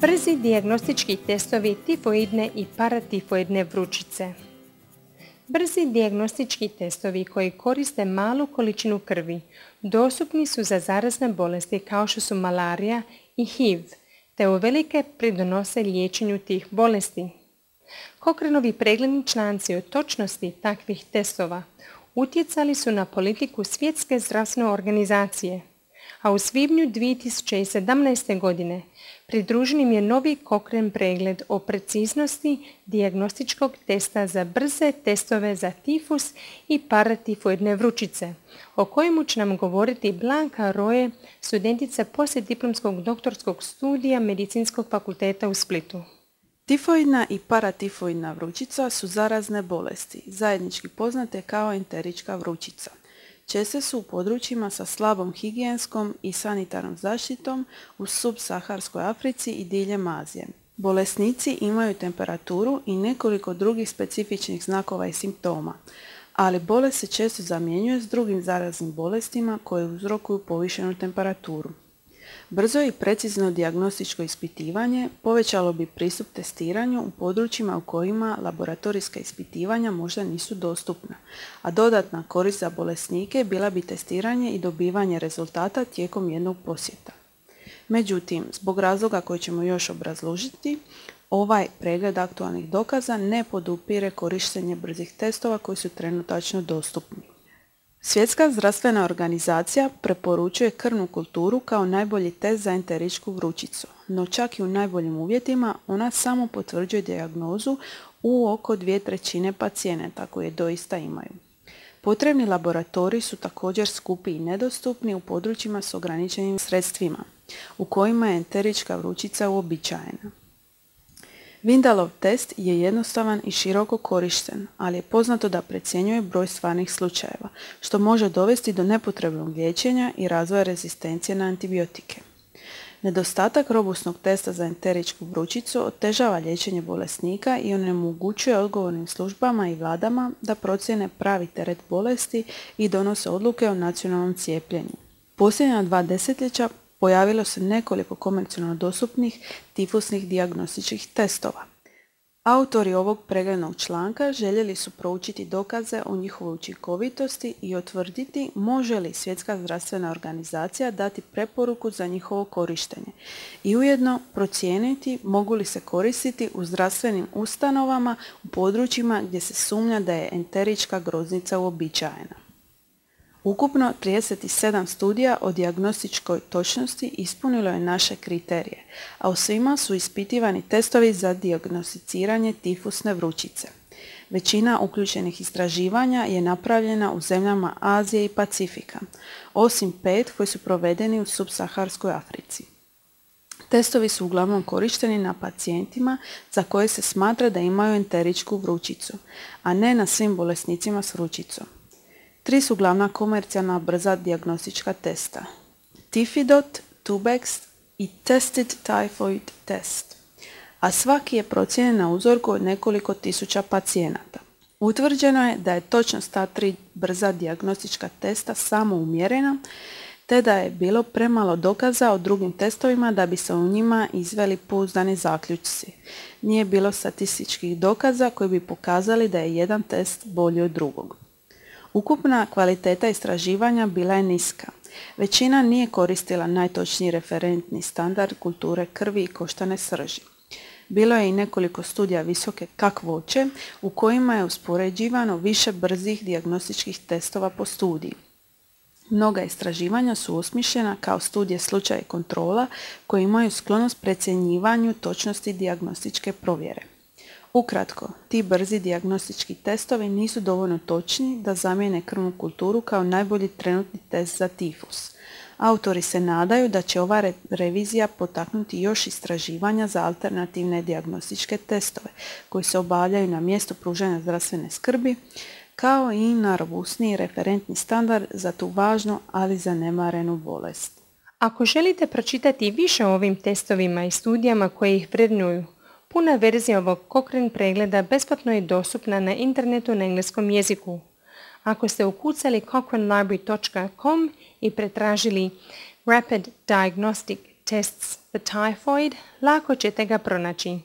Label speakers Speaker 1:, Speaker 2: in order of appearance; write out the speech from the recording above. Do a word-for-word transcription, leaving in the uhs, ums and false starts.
Speaker 1: Brzi dijagnostički testovi tifoidne i paratifoidne vrućice. Brzi dijagnostički testovi koji koriste malu količinu krvi dostupni su za zarazne bolesti kao što su malarija i H I V, te uvelike pridonose liječenju tih bolesti. Cochraneovi pregledni članci o točnosti takvih testova utjecali su na politiku Svjetske zdravstvene organizacije, a u svibnju dvije tisuće sedamnaeste. godine pridružen im je novi Cochrane pregled o preciznosti dijagnostičkog testa za brze testove za tifus i paratifoidne vrućice, o kojemu će nam govoriti Blanka Roje, studentica poslijediplomskog doktorskog studija Medicinskog fakulteta u Splitu.
Speaker 2: Tifoidna i paratifoidna vrućica su zarazne bolesti, zajednički poznate kao enterička vrućica. Česte su u područjima sa slabom higijenskom i sanitarnom zaštitom u subsaharskoj Africi i diljem Azije. Bolesnici imaju temperaturu i nekoliko drugih specifičnih znakova i simptoma, ali bolest se često zamjenjuje s drugim zaraznim bolestima koje uzrokuju povišenu temperaturu. Brzo i precizno dijagnostičko ispitivanje povećalo bi pristup testiranju u područjima u kojima laboratorijska ispitivanja možda nisu dostupna, a dodatna korist za bolesnike bila bi testiranje i dobivanje rezultata tijekom jednog posjeta. Međutim, zbog razloga koji ćemo još obrazložiti, ovaj pregled aktualnih dokaza ne podupire korištenje brzih testova koji su trenutačno dostupni. Svjetska zdravstvena organizacija preporučuje krvnu kulturu kao najbolji test za enteričku vrućicu, no čak i u najboljim uvjetima ona samo potvrđuje dijagnozu u oko dvije trećine pacijenata koje doista imaju. Potrebni laboratoriji su također skupi i nedostupni u područjima s ograničenim sredstvima, u kojima je enterička vrućica uobičajena. Vindalov test je jednostavan i široko korišten, ali je poznato da precjenjuje broj stvarnih slučajeva, što može dovesti do nepotrebnog liječenja i razvoja rezistencije na antibiotike. Nedostatak robustnog testa za enteričku vrućicu otežava liječenje bolesnika i onemogućuje odgovornim službama i vladama da procijene pravi teret bolesti i donose odluke o nacionalnom cijepljenju. Posljednja dva desetljeća pojavilo se nekoliko komercijalno dostupnih tifusnih dijagnostičkih testova. Autori ovog preglednog članka željeli su proučiti dokaze o njihovoj učinkovitosti i utvrditi može li Svjetska zdravstvena organizacija dati preporuku za njihovo korištenje i ujedno procijeniti mogu li se koristiti u zdravstvenim ustanovama u područjima gdje se sumnja da je enterička groznica uobičajena. Ukupno trideset sedam studija o dijagnostičkoj točnosti ispunilo je naše kriterije, a u svima su ispitivani testovi za dijagnosticiranje tifusne vrućice. Većina uključenih istraživanja je napravljena u zemljama Azije i Pacifika, osim pet koji su provedeni u subsaharskoj Africi. Testovi su uglavnom korišteni na pacijentima za koje se smatra da imaju enteričku vrućicu, a ne na svim bolesnicima s vrućicom. Tri su glavna komercijalna brza dijagnostička testa: Tifidot, Tubex i Tested Typhoid Test, a svaki je procijenjen na uzorku od nekoliko tisuća pacijenata. Utvrđeno je da je točnost ta tri brza dijagnostička testa samo umjerena, te da je bilo premalo dokaza o drugim testovima da bi se u njima izveli pouzdani zaključci. Nije bilo statističkih dokaza koji bi pokazali da je jedan test bolji od drugog. Ukupna kvaliteta istraživanja bila je niska. Većina nije koristila najtočniji referentni standard kulture krvi i koštane srži. Bilo je i nekoliko studija visoke kakvoće u kojima je uspoređivano više brzih dijagnostičkih testova po studiji. Mnoga istraživanja su osmišljena kao studije slučaja i kontrola koji imaju sklonost precjenjivanju točnosti dijagnostičke provjere. Ukratko, ti brzi dijagnostički testovi nisu dovoljno točni da zamijene krvnu kulturu kao najbolji trenutni test za tifus. Autori se nadaju da će ova re- revizija potaknuti još istraživanja za alternativne dijagnostičke testove koji se obavljaju na mjestu pružanja zdravstvene skrbi, kao i na robustniji referentni standard za tu važnu, ali zanemarenu bolest.
Speaker 1: Ako želite pročitati više o ovim testovima i studijama koje ih vrednuju, puna verzija ovog Cochrane pregleda besplatno je dostupna na internetu na engleskom jeziku. Ako ste ukucali cochrane library dot com i pretražili Rapid Diagnostic tests the typhoid, lako ćete ga pronaći.